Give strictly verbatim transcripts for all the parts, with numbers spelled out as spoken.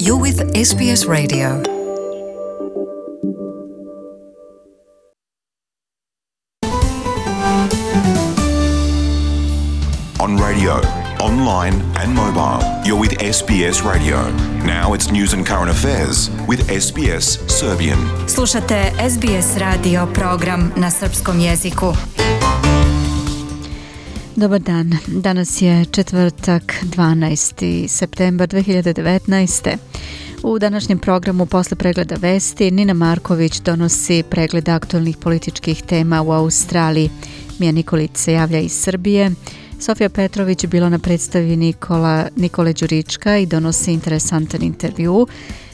You're with S B S Radio. On radio, online and mobile, you're with S B S Radio. Now it's news and current affairs with S B S Serbian. Slušate S B S radio program na srpskom jeziku. Dobar dan, danas je četvrtak, dvanaesti septembar dve hiljade devetnaeste. U današnjem programu posle pregleda vesti Nina Marković donosi pregled aktualnih političkih tema u Australiji. Mija Nikolić se javlja iz Srbije. Sofija Petrović je bila na predstavi Nikola, Nikole Đurička i donosi interesantan intervju.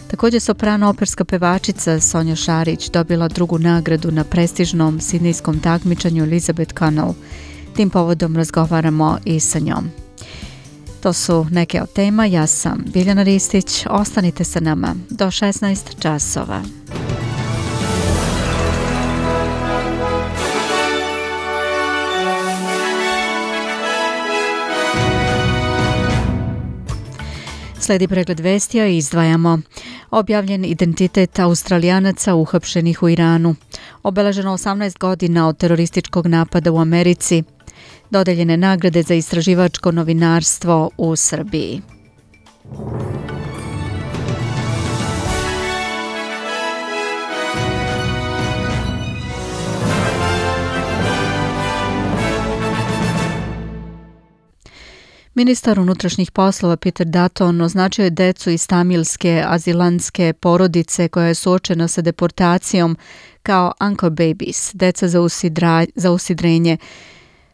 Također soprano operska pevačica Sonja Šarić dobila drugu nagradu na prestižnom sidnejskom takmičenju Elizabeth Connell. Tim povodom razgovaramo i sa njom. To su neke od tema. Ja sam Biljana Ristić. Ostanite sa nama do šesnaest časova. Sledi pregled vestija i izdvajamo. Objavljen identitet Australijanaca uhapšenih u Iranu. Obeleženo osamnaest godina od terorističkog napada u Americi. Dodeljene nagrade za istraživačko novinarstvo u Srbiji. Ministar unutrašnjih poslova Peter Dutton označio je decu iz tamilske azilantske porodice koja je suočena sa deportacijom kao anchor babies, deca za, usidra, za usidrenje.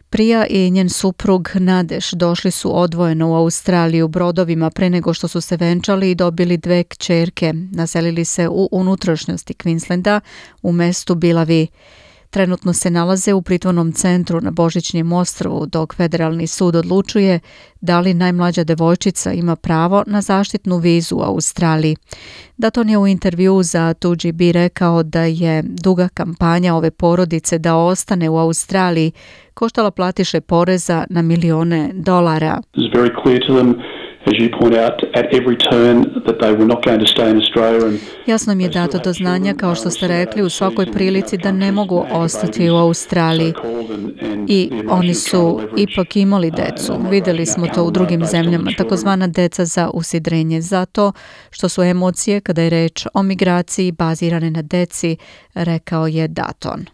Prija i njen suprug Nadeš došli su odvojeno u Australiju brodovima pre nego što su se venčali i dobili dve kćerke. Naselili se u unutrašnjosti Queenslanda u mestu Bilavi. Trenutno se nalaze u pritvornom centru na Božićnjem ostrvu dok federalni sud odlučuje da li najmlađa devojčica ima pravo na zaštitnu vizu u Australiji. Dutton je u intervju za two G B rekao da je duga kampanja ove porodice da ostane u Australiji koštala platiše poreza na milione dolara. Jasno mi je dato do znanja, kao što ste rekli, u svakoj prilici da ne mogu ostati u Australiji. I oni su ipak imali decu. Vidjeli smo to u drugim zemljama, takozvana deca za usidrenje, zato što su emocije kada je reč o migraciji bazirane na deci, rekao je Dutton.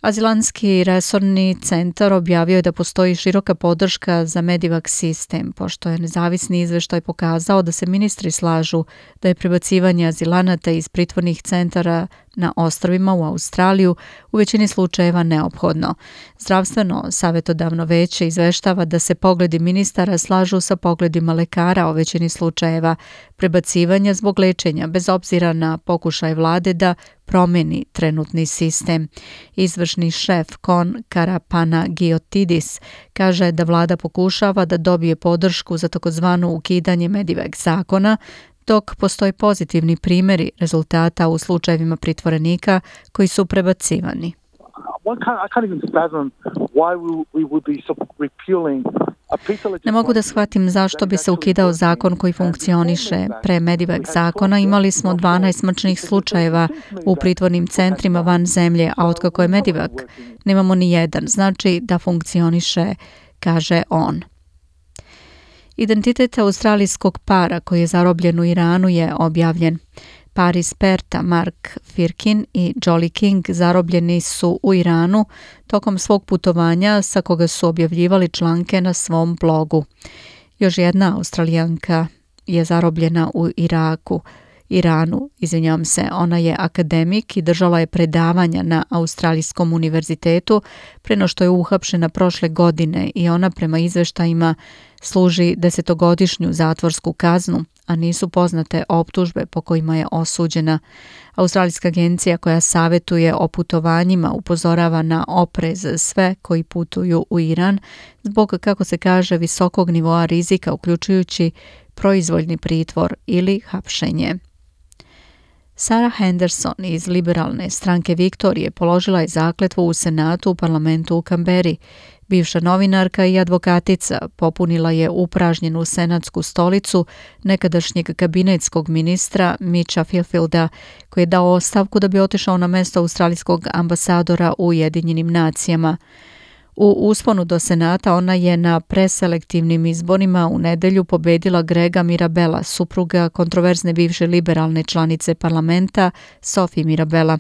Azilantski resorni centar objavio je da postoji široka podrška za Medivac sistem, pošto je nezavisni izveštaj pokazao da se ministri slažu da je prebacivanje azilanata iz pritvornih centara na ostrvima u Australiju u većini slučajeva neophodno. Zdravstveno savjetodavno veće izveštava da se pogledi ministara slažu sa pogledima lekara o većini slučajeva prebacivanja zbog lečenja, bez obzira na pokušaj vlade da promeni trenutni sistem. Izvršni šef Kon Karapanagiotis kaže da vlada pokušava da dobije podršku za takozvano ukidanje Medivac zakona, dok postoje pozitivni primjeri rezultata u slučajevima pritvorenika koji su prebacivani. Ne mogu da shvatim zašto bi se ukidao zakon koji funkcioniše. Pre Medivac zakona imali smo dvanaest smrtnih slučajeva u pritvornim centrima van zemlje, a otkako je Medivac nemamo ni jedan. Znači da funkcioniše, kaže on. Identitet australijskog para koji je zarobljen u Iranu je objavljen. Par iz Perta, Mark Firkin i Jolly King, zarobljeni su u Iranu tokom svog putovanja sa koga su objavljivali članke na svom blogu. Još jedna Australijanka je zarobljena u Iraku. Iranu, izvinjavam se, ona je akademik i držala je predavanja na Australijskom univerzitetu pre no što je uhapšena prošle godine i ona prema izveštajima služi desetogodišnju zatvorsku kaznu, a nisu poznate optužbe po kojima je osuđena. Australijska agencija koja savjetuje o putovanjima upozorava na oprez sve koji putuju u Iran zbog, kako se kaže, visokog nivoa rizika, uključujući proizvoljni pritvor ili hapšenje. Sarah Henderson iz liberalne stranke Viktorije položila je zakletvu u Senatu u parlamentu u Kamberi. Bivša novinarka i advokatica popunila je upražnjenu senatsku stolicu nekadašnjeg kabinetskog ministra Mitcha Filfielda, koji je dao ostavku da bi otišao na mesto australijskog ambasadora u Ujedinjenim nacijama. U usponu do Senata ona je na preselektivnim izborima u nedelju pobedila Grega Mirabela, supruga kontroverzne bivše liberalne članice parlamenta Sophie Mirabela.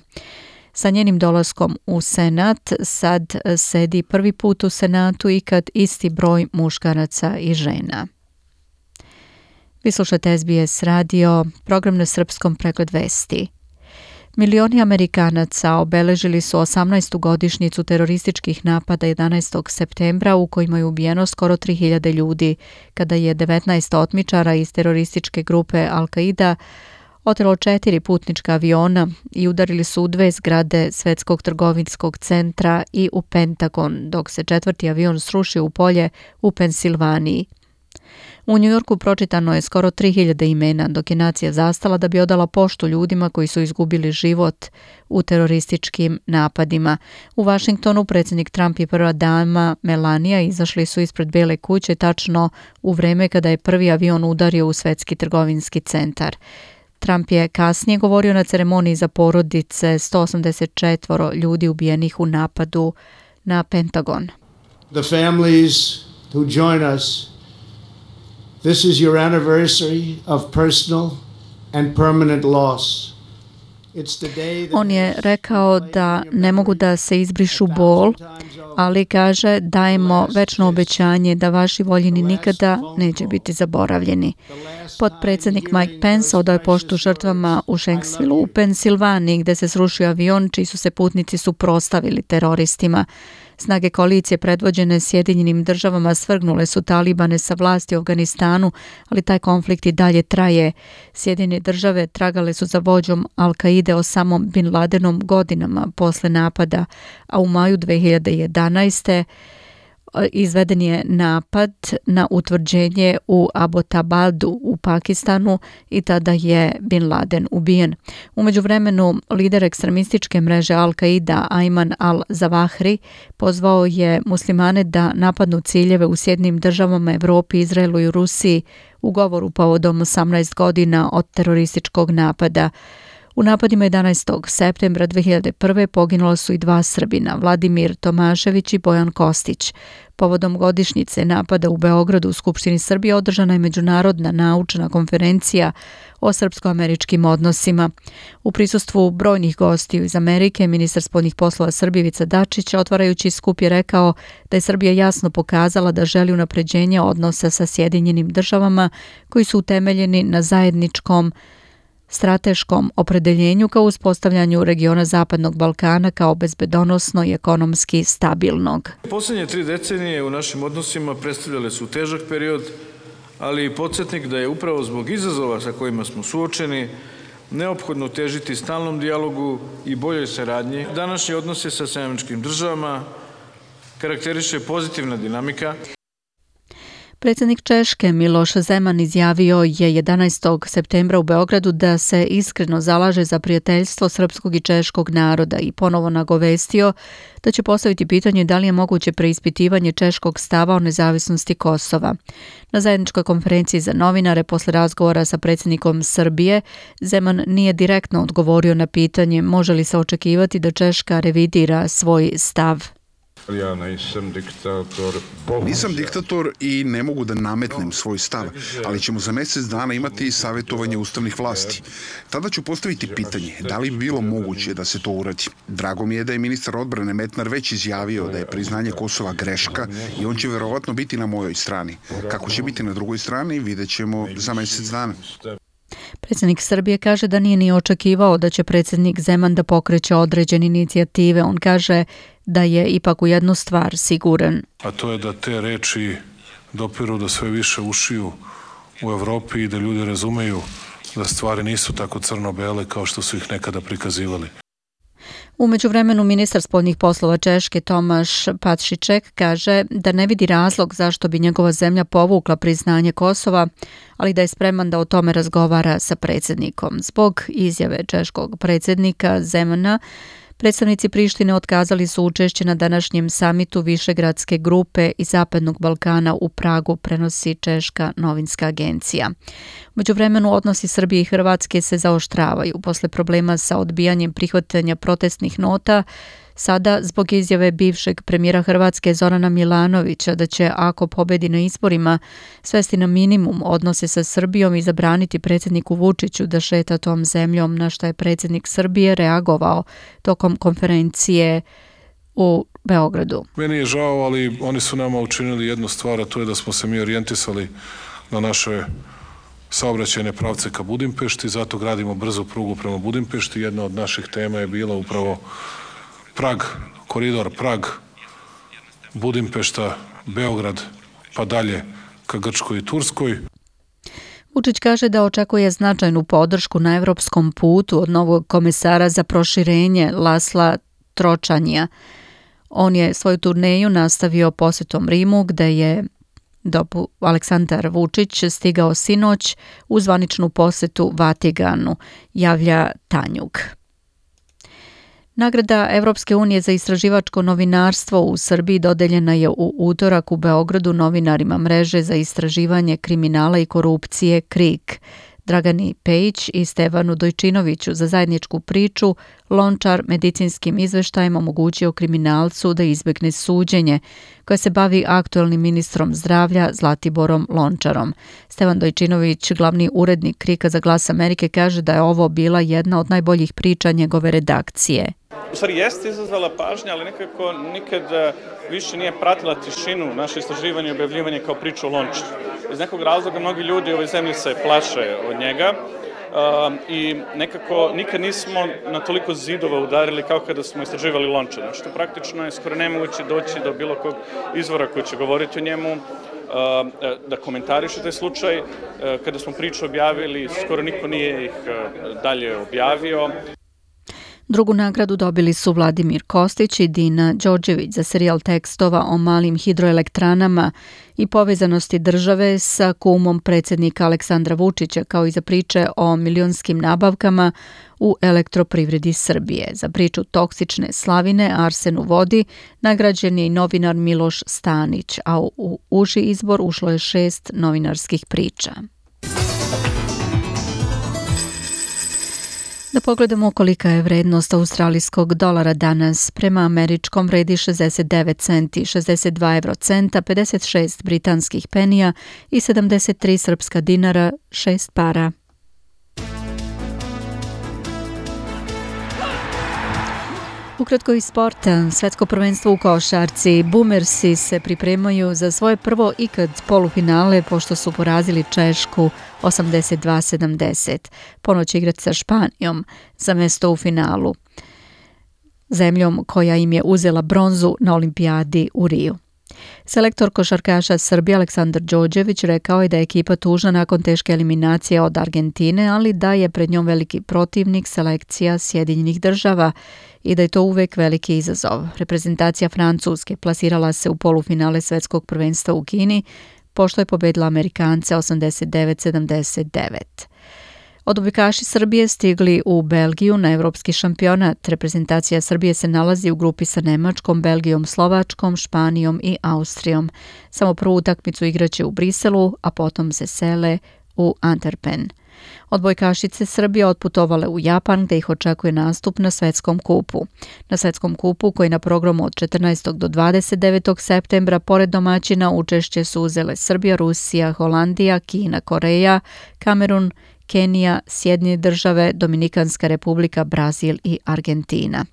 Sa njenim dolaskom u Senat sad sedi prvi put u Senatu i kad isti broj muškaraca i žena. Vi slušate S B S radio, program na srpskom, pregled vesti. Milioni Amerikanaca obeležili su osamnaestu godišnjicu terorističkih napada jedanaestog septembra u kojima je ubijeno skoro tri hiljade ljudi, kada je devetnaest otmičara iz terorističke grupe Al-Qaida otelo četiri putnička aviona i udarili su u dve zgrade Svetskog trgovinskog centra i u Pentagon, dok se četvrti avion srušio u polje u Pensilvaniji. U Njujorku pročitano je skoro tri hiljade imena, dok je nacija zastala da bi odala poštu ljudima koji su izgubili život u terorističkim napadima. U Vašingtonu predsjednik Trump i prva dama Melania izašli su ispred Bele kuće tačno u vreme kada je prvi avion udario u Svetski trgovinski centar. Trump je kasnije govorio na ceremoniji za porodice sto osamdeset četiri ljudi ubijenih u napadu na Pentagon. The families who join us, this is your anniversary of personal and permanent loss. On je rekao da ne mogu da se izbrišu bol, ali kaže dajemo večno obećanje da vaši voljeni nikada neće biti zaboravljeni. Potpredsjednik Mike Pence odao je poštu žrtvama u Shanksville u Pensilvaniji, gde se srušio avion čiji su se putnici suprotstavili teroristima. Snage koalicije predvođene Sjedinjenim državama svrgnule su talibane sa vlasti u Afganistanu, ali taj konflikt i dalje traje. Sjedinjene države tragale su za vođom Al-Qaide Osamom Bin Ladenom godinama posle napada, a u maju dve hiljade jedanaeste. izveden je napad na utvrđenje u Abbottabadu u Pakistanu i tada je Bin Laden ubijen. U međuvremenu lider ekstremističke mreže Al-Qaida Ayman al-Zawahri pozvao je muslimane da napadnu ciljeve u Sjedinjenim državama, Evropi, Izraelu i Rusiji u govoru povodom osamnaest godina od terorističkog napada. U napadima jedanaestog septembra dve hiljade prve. poginula su i dva Srbina, Vladimir Tomašević i Bojan Kostić. Povodom godišnjice napada u Beogradu u Skupštini Srbije održana je međunarodna naučna konferencija o srpsko-američkim odnosima. U prisustvu brojnih gostiju iz Amerike, ministar spoljnih poslova Srbije Ivica Dačić, otvarajući skup, je rekao da je Srbija jasno pokazala da želi unapređenje odnosa sa Sjedinjenim državama koji su utemeljeni na zajedničkom strateškom opredeljenju kao uspostavljanju regiona Zapadnog Balkana kao bezbedonosno i ekonomski stabilnog. Posljednje tri decenije u našim odnosima predstavljale su težak period, ali i podsjetnik da je upravo zbog izazova sa kojima smo suočeni neophodno težiti stalnom dijalogu i boljoj saradnji. Današnji odnose sa Sjedinjenim Američkim Državama karakteriše pozitivna dinamika. Predsjednik Češke Miloš Zeman izjavio je jedanaestog septembra u Beogradu da se iskreno zalaže za prijateljstvo srpskog i češkog naroda i ponovo nagovestio da će postaviti pitanje da li je moguće preispitivanje češkog stava o nezavisnosti Kosova. Na zajedničkoj konferenciji za novinare posle razgovora sa predsjednikom Srbije, Zeman nije direktno odgovorio na pitanje može li se očekivati da Češka revidira svoj stav. Ja nisam diktator. Nisam diktator i ne mogu da nametnem svoj stav, ali ćemo za mjesec dana imati savjetovanje ustavnih vlasti. Tada ću postaviti pitanje da li bi bilo moguće da se to uradi. Drago mi je da je ministar odbrane Metnar već izjavio da je priznanje Kosova greška i on će verovatno biti na mojoj strani. Kako će biti na drugoj strani, vidjet ćemo za mjesec dana. Predsjednik Srbije kaže da nije ni očekivao da će predsjednik Zeman da pokreće određene inicijative. On kaže da je ipak u jednu stvar siguran. A to je da te reči dopiru do sve više ušiju u Evropi i da ljudi razumeju da stvari nisu tako crno-bele kao što su ih nekada prikazivali. U međuvremenu ministar spoljnih poslova Češke Tomaš Pašiček kaže da ne vidi razlog zašto bi njegova zemlja povukla priznanje Kosova, ali da je spreman da o tome razgovara sa predsjednikom. Zbog izjave češkog predsjednika Zemana, Predstavnici Prištine otkazali su učešće na današnjem samitu Višegradske grupe i Zapadnog Balkana u Pragu, prenosi Češka novinska agencija. U međuvremenu odnosi Srbije i Hrvatske se zaoštravaju posle problema sa odbijanjem prihvatanja protestnih nota, sada zbog izjave bivšeg premijera Hrvatske Zorana Milanovića da će, ako pobedi na izborima, svesti na minimum odnose sa Srbijom i zabraniti predsjedniku Vučiću da šeta tom zemljom, na što je predsjednik Srbije reagovao tokom konferencije u Beogradu. Meni je žao, ali oni su nama učinili jednu stvar, a to je da smo se mi orijentisali na naše saobraćajne pravce ka Budimpešti, zato gradimo brzu prugu prema Budimpešti. Jedna od naših tema je bila upravo Prag, koridor Prag, Budimpešta, Beograd, pa dalje ka Grčkoj i Turskoj. Vučić kaže da očekuje značajnu podršku na evropskom putu od novog komesara za proširenje Lasla Tročanja. On je svoju turneju nastavio posjetom Rimu, gde je dopu Aleksandar Vučić stigao sinoć u zvaničnu posjetu Vatikanu, javlja Tanjug. Nagrada Evropske unije za istraživačko novinarstvo u Srbiji dodeljena je u utorak u Beogradu novinarima mreže za istraživanje kriminala i korupcije KRIK, Dragani Pejić i Stevanu Dojčinoviću za zajedničku priču Lončar medicinskim izveštajem omogućio kriminalcu da izbjegne suđenje, koje se bavi aktuelnim ministrom zdravlja Zlatiborom Lončarom. Stevan Dojčinović, glavni urednik KRIK-a za Glas Amerike, kaže da je ovo bila jedna od najboljih priča njegove redakcije. U stvari jeste izazvala pažnja, ali nekako nikad više nije pratila tišinu naše istraživanje i objavljivanje kao priču o Lončaru. Iz nekog razloga mnogi ljudi u ovoj zemlji se plaše od njega uh, i nekako nikad nismo na toliko zidova udarili kao kada smo istraživali Lončara, što praktično je skoro nemoguće doći do bilo kog izvora koji će govoriti o njemu, da komentariše taj slučaj. Kada smo priču objavili, skoro niko nije ih dalje objavio. Drugu nagradu dobili su Vladimir Kostić i Dina Đorđević za serijal tekstova o malim hidroelektranama i povezanosti države sa kumom predsjednika Aleksandra Vučića, kao i za priče o milionskim nabavkama u elektroprivredi Srbije. Za priču Toksične slavine Arsen u vodi nagrađen je i novinar Miloš Stanić, a u uži izbor ušlo je šest novinarskih priča. Da pogledamo kolika je vrednost australijskog dolara danas. Prema američkom vredi šezdeset devet centi, šezdeset dva evrocenta, pedeset šest britanskih penija i sedamdeset tri srpska dinara, šest para. Ukratko iz sporta, svetsko prvenstvo u košarci. Boomersi se pripremaju za svoje prvo ikad polufinale pošto su porazili Češku osamdeset dva sedamdeset. Ponoć će igrati sa Španijom za mesto u finalu, zemljom koja im je uzela bronzu na olimpijadi u Riju. Selektor košarkaša Srbije Aleksandar Đorđević rekao je da je ekipa tužna nakon teške eliminacije od Argentine, ali da je pred njom veliki protivnik selekcija Sjedinjenih država i da je to uvek veliki izazov. Reprezentacija Francuske plasirala se u polufinale svetskog prvenstva u Kini, pošto je pobedila Amerikance osamdeset devet sedamdeset devet. Odbojkaši Srbije stigli u Belgiju na evropski šampionat. Reprezentacija Srbije se nalazi u grupi sa Nemačkom, Belgijom, Slovačkom, Španijom i Austrijom. Samo prvu utakmicu igraće u Briselu, a potom se sele u Antwerpen. Odbojkašice Srbije otputovale u Japan, gde ih očekuje nastup na svetskom kupu. Na svetskom kupu, koji je na programu od četrnaestog do dvadeset devetog septembra, pored domaćina učešće su uzele Srbija, Rusija, Holandija, Kina, Koreja, Kamerun, Kenija, Sjedinjene države, Dominikanska republika, Brazil i Argentina.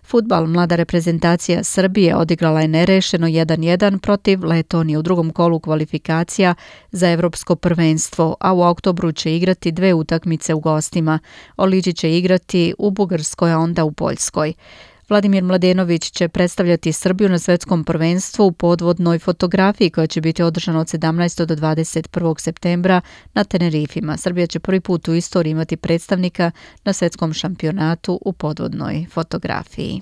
Fudbal, mlada reprezentacija Srbije odigrala je nerešeno jedan jedan protiv Letonije u drugom kolu kvalifikacija za evropsko prvenstvo, a u oktobru će igrati dve utakmice u gostima. Oliđi će igrati u Bugarskoj, a onda u Poljskoj. Vladimir Mladenović će predstavljati Srbiju na svetskom prvenstvu u podvodnoj fotografiji koja će biti održana od sedamnaestog do dvadeset prvog septembra na Tenerifima. Srbija će prvi put u istoriji imati predstavnika na svetskom šampionatu u podvodnoj fotografiji.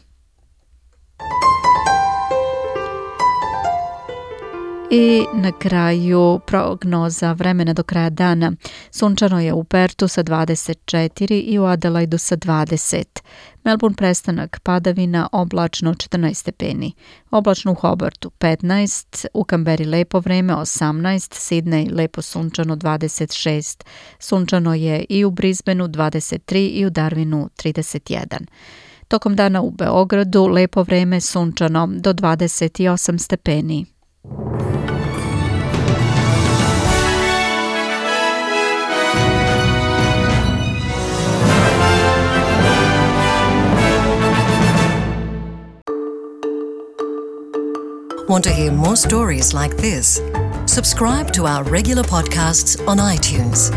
I na kraju prognoza vremena do kraja dana. Sunčano je u Pertu sa dvadeset četiri i u Adelaidu sa dvadeset. Melbourne prestanak padavina, oblačno četrnaest stepeni. Oblačno u Hobartu petnaest, u Kamberi lepo vreme osamnaest, Sidney lepo sunčano dvadeset šest. Sunčano je i u Brisbaneu dvadeset tri i u Darwinu trideset jedan. Tokom dana u Beogradu lepo vreme sunčano do dvadeset osam stepeni. Want to hear more stories like this? Subscribe to our regular podcasts on iTunes.